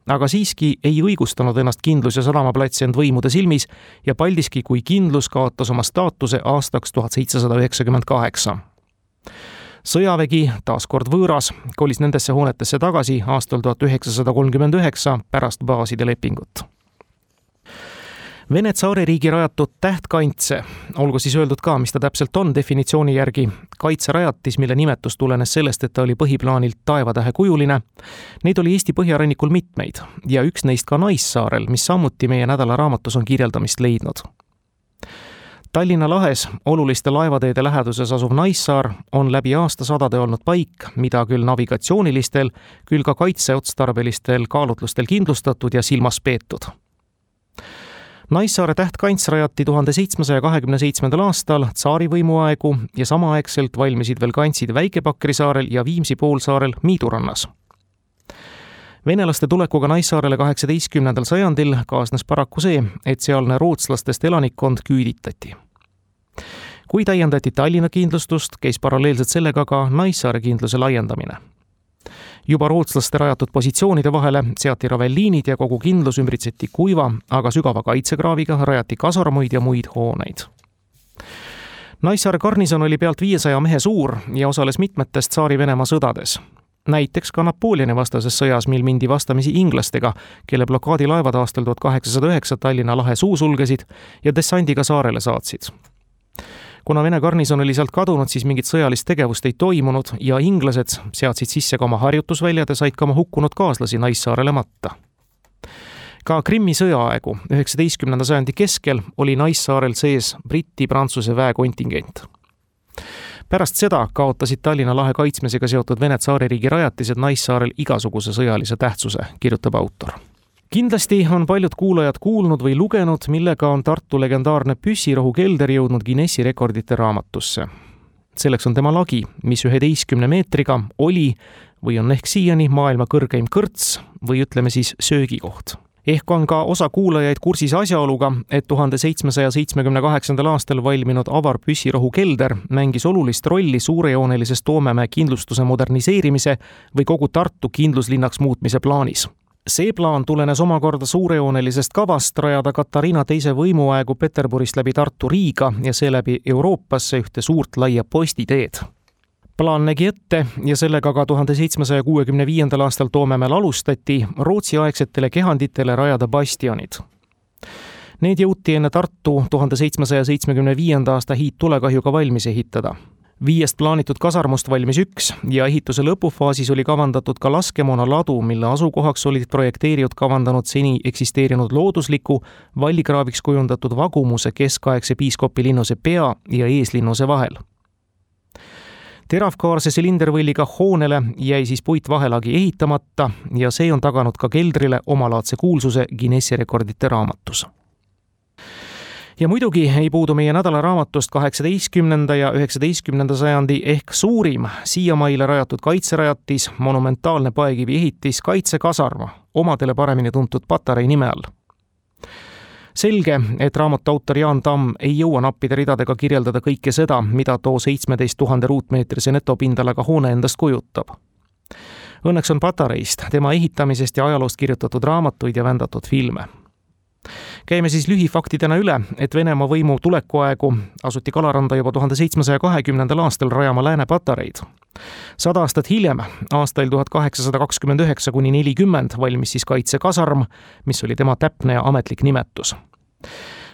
Aga siiski ei õigustanud ennast kindlus ja sadamaplats end võimude silmis ja Paldiski kui kindlus kaotas oma staatuse aastaks 1798. Sõjavägi, taas kord võõras, kolis nendesse hoonetesse tagasi aastal 1939 pärast baaside lepingut. Vene tsaaririigi rajatud tähtkantse, olgu siis öeldud ka, mis ta täpselt on definitsiooni järgi, kaitserajatis, mille nimetus tulenes sellest, et ta oli põhiplaanilt taevatähe kujuline. Neid oli Eesti põhjarannikul mitmeid ja üks neist ka Naissaarel, mis samuti meie nädalaraamatus on kirjeldamist leidnud. Tallinna lahes oluliste laevateede läheduses asuv Naissaar on läbi aastasadade olnud paik, mida küll navigatsioonilistel, küll ka kaitseotstarbelistel kaalutlustel kindlustatud ja silmas peetud. Naissaare tähtkants rajati 1727. aastal tsaarivõimu aegu ja samaaegselt valmisid veel kantsid Väike-Pakri saarel ja Viimsi poolsaarel Miidurannas. Venelaste tulekuga Naissaarele 18. sajandil kaasnes paraku see, et sealne rootslastest elanikkond küüditati. Kui täiendati Tallinna kindlustust, käis paralleelselt sellega ka Naissaare kindluse laiendamine. Juba rootslaste rajatud positsioonide vahele seati ravelliinid ja kogu kindlus ümbritseti kuiva, aga sügava kaitsekraaviga, rajati kasarmuid ja muid hooneid. Naissaare garnison oli pealt 500 mehe suur ja osales mitmetest Tsaari-Venemaa sõdades. Näiteks ka Napoleoni vastases sõjas, mil mindi vastamisi inglastega, kelle blokaadilaevad aastal 1809 Tallinna lahe suu sulgesid ja dessandiga saarele saatsid. Kuna Vene garnison oli sealt kadunud, siis mingit sõjalist tegevust ei toimunud ja inglased seadsid sisse ka oma harjutusväljad ja said ka oma hukkunud kaaslasi Naissaarele matta. Ka Krimmi sõjaaegu 19. sajandi keskel oli Naissaarel sees Briti-Prantsuse väekontingent. Pärast seda kaotasid Tallinna lahe kaitsmisega seotud Vene tsaaririigi rajatised Naissaarel igasuguse sõjalise tähtsuse, kirjutab autor. Kindlasti on paljud kuulajad kuulnud või lugenud, millega on Tartu legendaarne püssirohu kelder jõudnud Guinessi rekordite raamatusse. Selleks on tema lagi, mis 11 meetriga oli või on ehk siiani maailma kõrgeim kõrts või ütleme siis söögikoht. Ehk on ka osa kuulajaid kursis asjaoluga, et 1778. aastal valminud avar püssirohu kelder mängis olulist rolli suurejoonelises Toomemäe kindlustuse moderniseerimise või kogu Tartu kindluslinnaks muutmise plaanis. See plaan tulenes omakorda suurejoonelisest kavast rajada Katariina teise võimuaegu Peterburist läbi Tartu Riiga ja seeläbi Euroopasse ühte suurt laia postiteed. Plaan nägi ette ja sellega ka 1765. aastal Toomemäel alustati Rootsi-aegsetele kehanditele rajada bastionid. Need jõuti enne Tartu 1775. aasta hiidtulekahjuga valmis ehitada. 5 plaanitud kasarmust valmis 1 ja ehituse lõpufaasis oli kavandatud ka laskemoona ladu, mille asukohaks olid projekteerijad kavandanud seni eksisteerinud loodusliku, vallikraaviks kujundatud vagumuse keskaegse piiskopilinnuse pea ja eeslinnuse vahel. Teravkaarse silindervõlliga hoonele jäi siis puitvahelaagi ehitamata ja see on taganud ka keldrile omalaadse kuulsuse Guinessi rekordite raamatus. Ja muidugi ei puudu meie nädalaraamatust 18. ja 19. sajandi ehk suurim siiamaile rajatud kaitserajatis, monumentaalne paekivi ehitis Kaitsekasarm, omadele paremini tuntud Patarei nime all. Selge, et raamatu autor Jaan Tamm ei jõua nappide ridadega kirjeldada kõike seda, mida too 17 000 ruutmeetrise netopindalaga hoone endast kujutab. Õnneks on Patareist, tema ehitamisest ja ajaloost kirjutatud raamatuid ja vändatud filme. Käime siis lühifaktidena üle, et Venemaa võimu tulekuaegu asuti Kalaranda juba 1720. aastal rajama Lääne-Patareid. 100 aastat hiljem, aastail 1829–40 valmis siis Kaitsekasarm, mis oli tema täpne ja ametlik nimetus.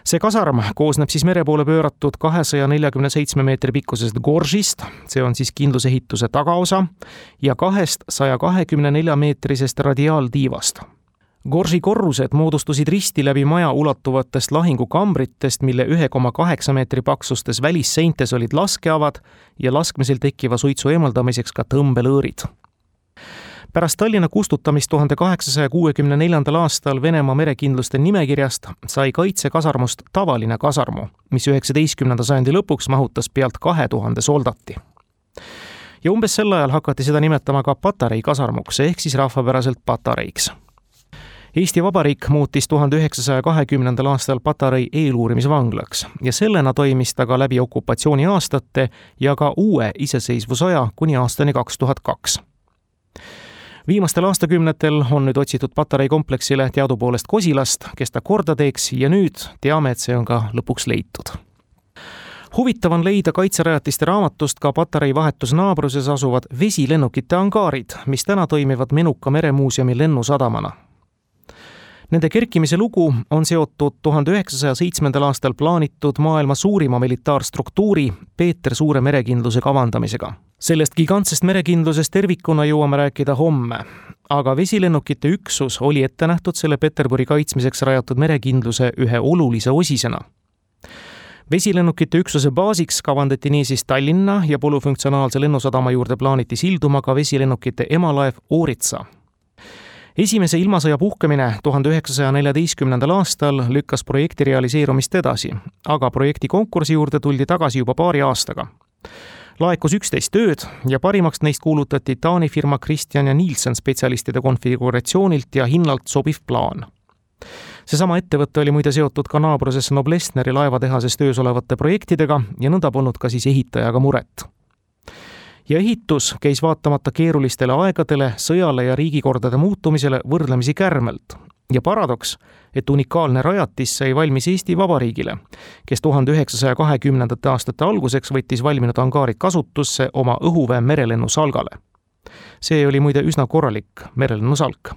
See kasarm koosneb siis mere poole pööratud 247 meetri pikkusest goržist, see on siis kindlusehituse tagaosa, ja 2 124 meetrisest radiaaltiivast. Gorži korrused moodustusid risti läbi maja ulatuvatest lahingukambritest, mille 1,8 meetri paksustes välisseintes olid laskeavad ja laskmisel tekkiva suitsu eemaldamiseks ka tõmbelõõrid. Pärast Tallinna kustutamist 1864. aastal Venemaa merekindluste nimekirjast sai Kaitsekasarmust tavaline kasarmu, mis 19. sajandi lõpuks mahutas pealt 2000 soldati. Ja umbes sel ajal hakati seda nimetama ka Patarei kasarmuks ehk siis rahvapäraselt Patareiks. Eesti Vabariik muutis 1920. aastal Patarei eeluurimisvanglaks ja sellena toimis ta ka läbi okupatsiooniaastate ja ka uue iseseisvusaja kuni aastani 2002. Viimastel aastakümnetel on nüüd otsitud Patarei kompleksile teadupoolest kosilast, kes ta korda teeks ja nüüd teame, et see on ka lõpuks leitud. Huvitav on leida kaitserajatiste raamatust ka Patarei vahetus naabruses asuvad vesilennukite angaarid, mis täna toimivad Menuka meremuuseumi lennusadamana. Nende kerkimise lugu on seotud 1907. aastal plaanitud maailma suurima militaarstruktuuri Peeter Suure merekindluse kavandamisega. Sellest gigantsest merekindlusest tervikuna jõuame rääkida homme, aga vesilennukite üksus oli ette nähtud selle Peterburi kaitsmiseks rajatud merekindluse ühe olulise osisena. Vesilennukite üksuse baasiks kavandati niisiis Tallinna ja polüfunktsionaalse lennusadama juurde plaaniti silduma ka vesilennukite emalaev Oritsa. Esimese ilmasõja puhkemine 1914. aastal lükkas projekti realiseerumist edasi, aga projekti konkursi juurde tuldi tagasi juba paari aastaga. Laekus 11 tööd ja parimaks neist kuulutati Taani firma Christian ja Nielsen spetsialistide konfiguratsioonilt ja hinnalt sobiv plaan. Seesama ettevõtte oli muide seotud ka naabruses Noblessneri laevatehases töös olevate projektidega ja nõnda polnud ka siis ehitajaga muret. ja ehitus käis vaatamata keerulistele aegadele, sõjale ja riigikordade muutumisele võrdlemisi kärmelt. Ja paradoks, et unikaalne rajatis sai valmis Eesti Vabariigile, kes 1920. aastate alguseks võttis valminud angaarid kasutusse oma õhuväe merelennu salgale. See oli muide üsna korralik merelennu salk.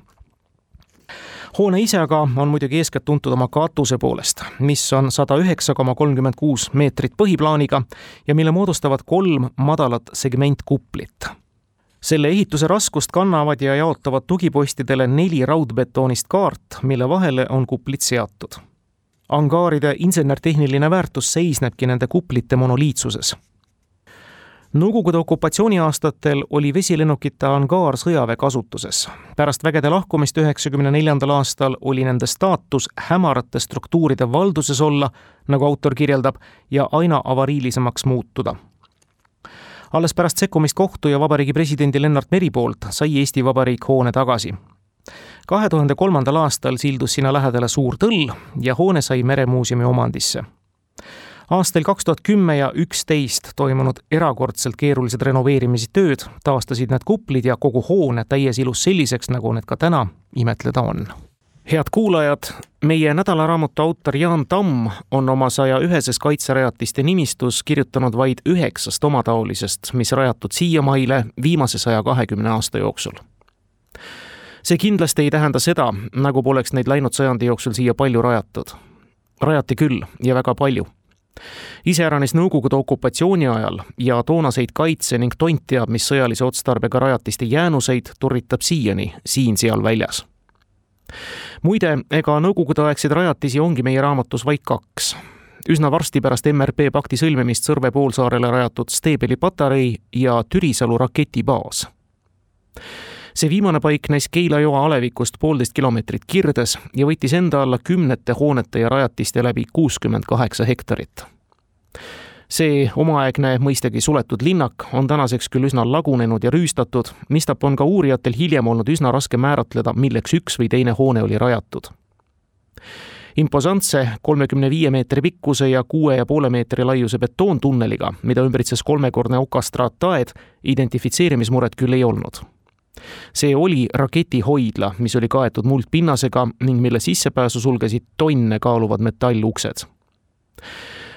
Hoone ise aga on muidugi eeskätt tuntud oma katuse poolest, mis on 109,36 meetrit põhiplaaniga ja mille moodustavad 3 madalat segmentkuplit. Selle ehituse raskust kannavad ja jaotavad tugipostidele 4 raudbetoonist kaart, mille vahele on kuplid seatud. Angaaride insenertehniline väärtus seisnebki nende kuplite monoliitsuses. Nõukogude okupatsiooniaastatel oli vesilennukite angaar sõjaväe kasutuses. Pärast vägede lahkumist 1994. aastal oli nende staatus hämarate struktuuride valduses olla, nagu autor kirjeldab, ja aina avariilisemaks muutuda. Alles pärast sekkumist kohtu ja vabariigi presidendi Lennart Meri poolt sai Eesti Vabariik hoone tagasi. 2003. aastal sildus sinna lähedale suur tõll ja hoone sai Meremuuseumi omandisse. Aastal 2010 ja 2011 toimunud erakordselt keerulised renoveerimistööd taastasid need kuplid ja kogu hoone täies ilus selliseks, nagu need ka täna imetleda on. Head kuulajad, meie nädalaraamatu autor Jaan Tamm on oma 101 kaitserajatiste nimistus kirjutanud vaid 9 omataolisest, mis rajatud siiamaile viimase 120 aasta jooksul. See kindlasti ei tähenda seda, nagu poleks neid läinud sajandi jooksul siia palju rajatud. Rajati küll ja väga palju. Iseäranis Nõukogude okupatsiooni ajal ja toonaseid kaitse ning tont teab, mis sõjalise otstarbega rajatiste jäänuseid turritab siiani siin-seal väljas. Muide, ega Nõukogude-aegseid rajatisi ongi meie raamatus vaid 2. Üsna varsti pärast MRP pakti sõlmimist Sõrve poolsaarele rajatud Steebeli patarei ja Türisalu raketibaas. See viimane paiknes Keila joa alevikust 1,5 kilomeetrit kirdes ja võttis enda alla 10 hoonete ja rajatiste läbi 68 hektarit. See omaaegne mõistagi suletud linnak on tänaseks küll üsna lagunenud ja rüüstatud, mistap on ka uurijatel hiljem olnud üsna raske määratleda, milleks üks või teine hoone oli rajatud. Imposantse 35 meetri pikkuse ja 6,5 meetri laiuse betoontunneliga, mida ümbritses 3-kordne okastraattaed, identifitseerimismuret küll ei olnud. See oli raketihoidla, mis oli kaetud muldpinnasega ning mille sissepääsu sulgesid tonne kaaluvad metalluksed.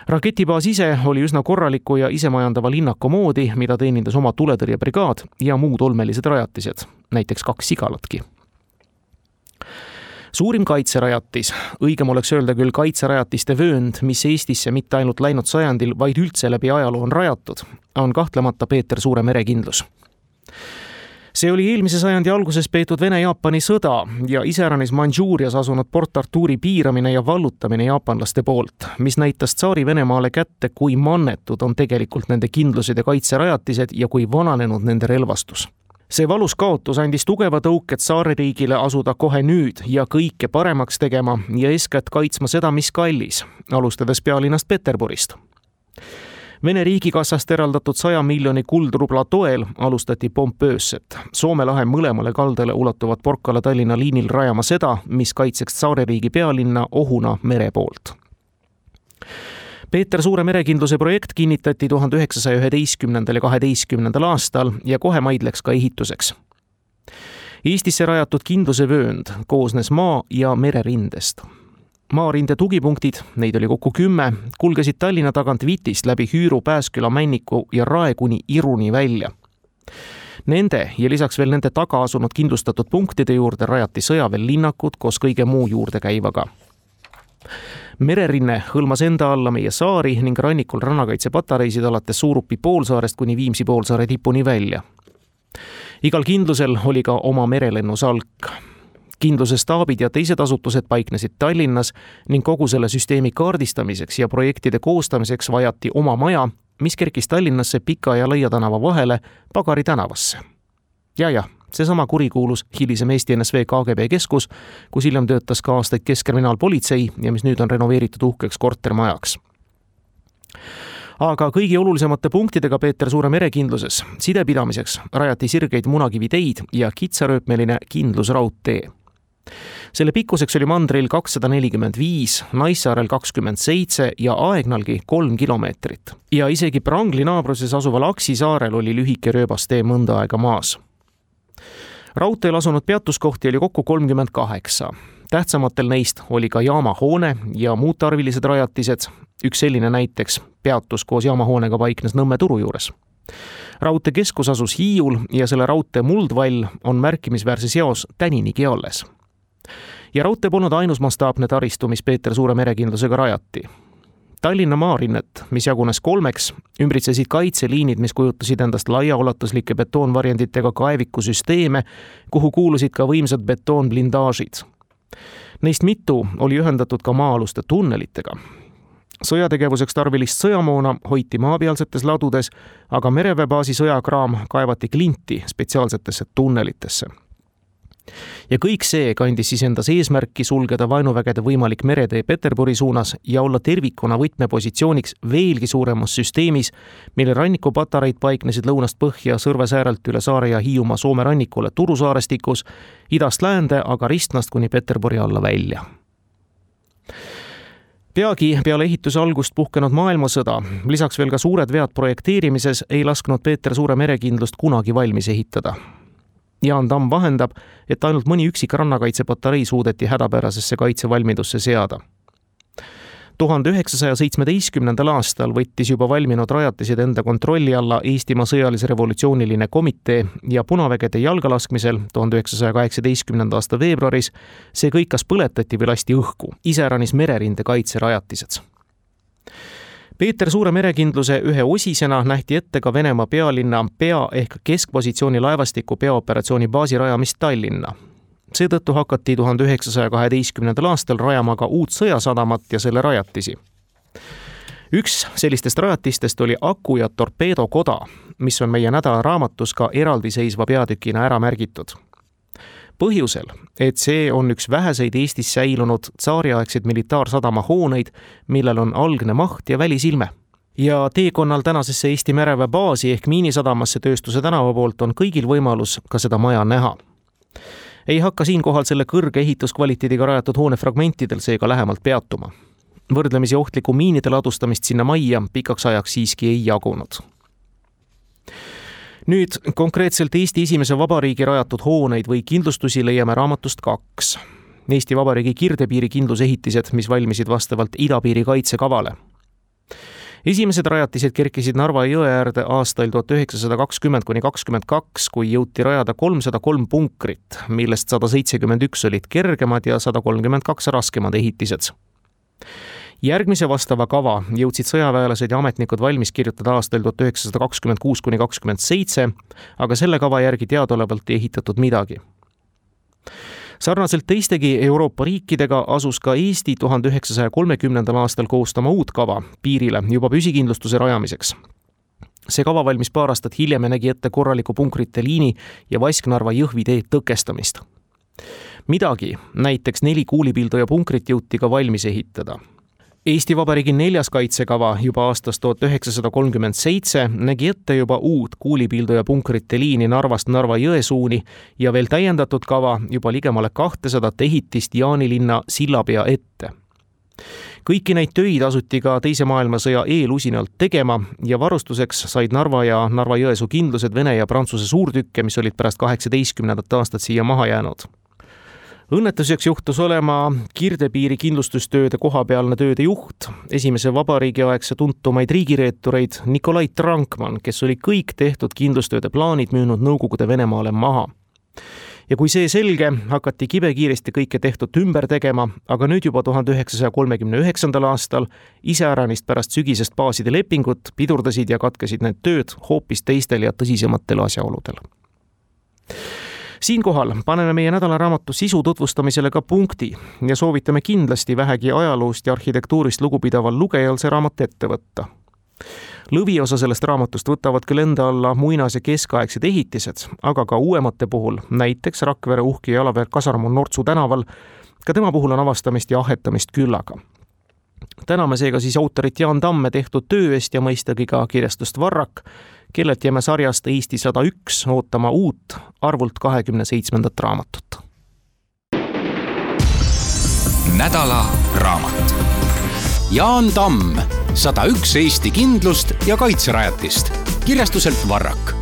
Raketibaas ise oli üsna korraliku ja isemajandava linnaku moodi, mida teenindas oma tuletõrjebrigaad ja muud olmelised rajatised, näiteks 2 sigalatki. Suurim kaitserajatis, õigem oleks öelda küll kaitserajatiste vöönd, mis Eestisse mitte ainult läinud sajandil, vaid üldse läbi ajaloo on rajatud, on kahtlemata Peeter Suure merekindlus. See oli eelmise sajandi alguses peetud Vene-Jaapani sõda ja iseäranis Mandžuurias asunud Port Arturi piiramine ja vallutamine jaapanlaste poolt, mis näitas Tsaari Venemaale kätte, kui mannetud on tegelikult nende kindlused ja kaitserajatised ja kui vananenud nende relvastus. See valus kaotus andis tugeva tõuke Tsaaririigile asuda kohe nüüd ja kõike paremaks tegema ja eeskätt kaitsma seda, mis kallis, alustades pealinnast Peterburist. Vene riigikassast eraldatud 100 miljoni kuldrubla toel alustati pompöösset. Soome lahe mõlemale kaldale ulatuvad Porkala-Tallinna liinil rajama seda, mis kaitseks Tsaaririigi pealinna ohuna mere poolt. Peeter Suure merekindluse projekt kinnitati 1911. ja 12. aastal ja kohe maidleks ka ehituseks. Eestisse rajatud kindluse vöönd koosnes maa- ja mererindest. Maarinde tugipunktid, neid oli kokku 10, kulgesid Tallinna tagant Vitist läbi Hüüru, Pääsküla, Männiku ja Rae kuni Iruni välja. Nende ja lisaks veel nende taga asunud kindlustatud punktide juurde rajati sõjaväelinnakud koos kõige muu juurde käivaga. Mererinne hõlmas enda alla meie saari ning rannikul rannakaitsepatareisid alates Suurupi poolsaarest kuni Viimsi poolsaare tipuni välja. Igal kindlusel oli ka oma merelennusalk. Kindluse staabid ja teised asutused paiknesid Tallinnas ning kogu selle süsteemi kaardistamiseks ja projektide koostamiseks vajati oma maja, mis kerkis Tallinnasse Pika ja Laia tänava vahele Pagari tänavasse. Ja, seesama kurikuulus hilisem Eesti NSV KGB keskus, kus hiljem töötas ka aastaid Keskkriminaalpolitsei ja mis nüüd on renoveeritud uhkeks kortermajaks. Aga kõigi olulisemate punktidega Peeter Suure merekindluses sidepidamiseks rajati sirgeid munakiviteid ja kitsarööpmeline kindlusraudtee. Selle pikkuseks oli mandril 245, Naissaarel 27 ja Aegnalgi 3 kilomeetrit. Ja isegi Prangli naabruses asuval Aksi saarel oli lühike rööbastee mõnda aega maas. Raudteel asunud peatuskohti oli kokku 38. Tähtsamatel neist oli ka jaamahoone ja muud tarvilised rajatised. Üks selline näiteks peatus koos jaamahoonega paiknes Nõmme turu juures. Raudtee keskus asus Hiiul ja selle raudtee muldvall on märkimisväärse seos täninigi alles. Ja raudtee polnud ainus mastaapne taristu, mis Peeter Suure merekindlusega rajati. Tallinna maarinnet, mis jagunes 3, ümbritsesid kaitseliinid, mis kujutasid endast laiaulatuslike betoonvarjenditega kaevikusüsteeme, kuhu kuulusid ka võimsad betoonblindaažid. Neist mitu oli ühendatud ka maa-aluste tunnelitega. Sõjategevuseks tarvilist sõjamoona hoiti maapealsetes ladudes, aga mereväebaasi sõjakraam kaevati klinti spetsiaalsetesse tunnelitesse. Ja kõik see kandis siis endas eesmärki sulgeda vaenuvägede võimalik meretee Peterburi suunas ja olla tervikuna võtmepositsiooniks veelgi suuremas süsteemis, mille rannikupatareid paiknesid lõunast põhja Sõrvesäärelt üle saare ja Hiiumaa Soome rannikule Turusaarestikus, idast läände, aga Ristnast kuni Peterburi alla välja. Peagi peale ehituse algust puhkenud maailmasõda, lisaks veel ka suured vead projekteerimises, ei lasknud Peeter Suure merekindlust kunagi valmis ehitada. Jaan Tamm vahendab, et ainult mõni üksik rannakaitsepatarei suudeti hädapärasesse kaitsevalmidusse seada. 1917. aastal võttis juba valminud rajatised enda kontrolli alla Eestimaa sõjalise revolutsiooniline komitee ja punavägede jalgalaskmisel 1918. aasta veebruaris see kõik kas põletati või lasti õhku, iseäranis mererinde kaitserajatised. Peeter Suure merekindluse ühe osisena nähti ette ka Venemaa pealinna pea- ehk keskpositsiooni laevastiku peaoperatsiooni baasi rajamist Tallinna. Seetõttu hakati 1912. aastal rajama ka uut sõjasadamat ja selle rajatisi. Üks sellistest rajatistest oli aku- ja torpeedokoda, mis on meie nädalaraamatus ka eraldiseisva peatükina ära märgitud. Põhjusel, et see on üks väheseid Eestis säilunud tsaariaegseid militaarsadama hooneid, millel on algne maht ja välisilme. Ja teekonnal tänasesse Eesti mereväe baasi ehk Miinisadamasse Tööstuse tänava poolt on kõigil võimalus ka seda maja näha. Ei hakka siinkohal selle kõrge ehituskvaliteediga rajatud hoone fragmentidel seega lähemalt peatuma. Võrdlemisi ohtliku miinide ladustamist sinna majja pikaks ajaks siiski ei jagunud. Nüüd konkreetselt Eesti esimese vabariigi rajatud hooneid või kindlustusi leiame raamatust 2. Eesti Vabariigi kirdepiiri kindlusehitised, mis valmisid vastavalt idapiiri kaitsekavale. Esimesed rajatised kerkisid Narva jõe äärde aastail 1920–22, kui jõuti rajada 303 punkrit, millest 171 olid kergemad ja 132 raskemad ehitised. Järgmise vastava kava jõudsid sõjaväelased ja ametnikud valmis kirjutada aastail 1926–27, aga selle kava järgi teadaolevalt ei ehitatud midagi. Sarnaselt teistegi Euroopa riikidega asus ka Eesti 1930. aastal koostama uut kava piirile juba püsikindlustuse rajamiseks. See kava valmis paar aastat hiljem ja nägi ette korraliku punkrite liini ja Vasknarva Jõhvi tee tõkestamist. Midagi, näiteks 4 kuulipilduja punkrit jõuti ka valmis ehitada. Eesti Vabariigi 4. kaitsekava juba aastast 1937 nägi ette juba uut kuulipilduja punkrite liini Narvast Narva jõe suuni ja veel täiendatud kava juba ligemale 200 ehitist Jaanilinna sillapea ette. Kõiki neid töid asuti ka Teise maailmasõja eelusinalt tegema ja varustuseks said Narva ja Narva jõesuu kindlused Vene ja Prantsuse suurtükke, mis olid pärast 18. aastat siia maha jäänud. Õnnetuseks juhtus olema kirdepiiri kindlustustööde kohapealne tööde juht, esimese vabariigi aegse tuntumaid riigireetureid Nikolai Trankman, kes oli kõik tehtud kindlustööde plaanid müünud Nõukogude Venemaale maha. Ja kui see selge, hakati kibekiiresti kõike tehtud ümber tegema, aga nüüd juba 1939. aastal iseäranist pärast sügisest baaside lepingut pidurdasid ja katkesid need tööd hoopis teistel ja tõsisematel asjaoludel. Siinkohal paneme meie nädalaraamatu sisu tutvustamisele ka punkti ja soovitame kindlasti vähegi ajaloost ja arhitektuurist lugupidaval lugejal see raamat ette võtta. Lõviosa sellest raamatust võtavad küll enda alla muinas- ja keskaegsed ehitised, aga ka uuemate puhul, näiteks Rakvere uhke jalaväe kasarm on Nortsu tänaval, ka tema puhul on avastamist ja ahetamist küllaga. Täname seega siis autorit Jaan Tamme tehtud töö eest ja mõistagi ka kirjastust Varrak, kellelt jääme sarjast Eesti 101 ootama uut arvult 27. raamatut. nädala raamat. Jaan Tamm, 101 Eesti kindlust ja kaitserajatist. Kirjastuselt Varrak.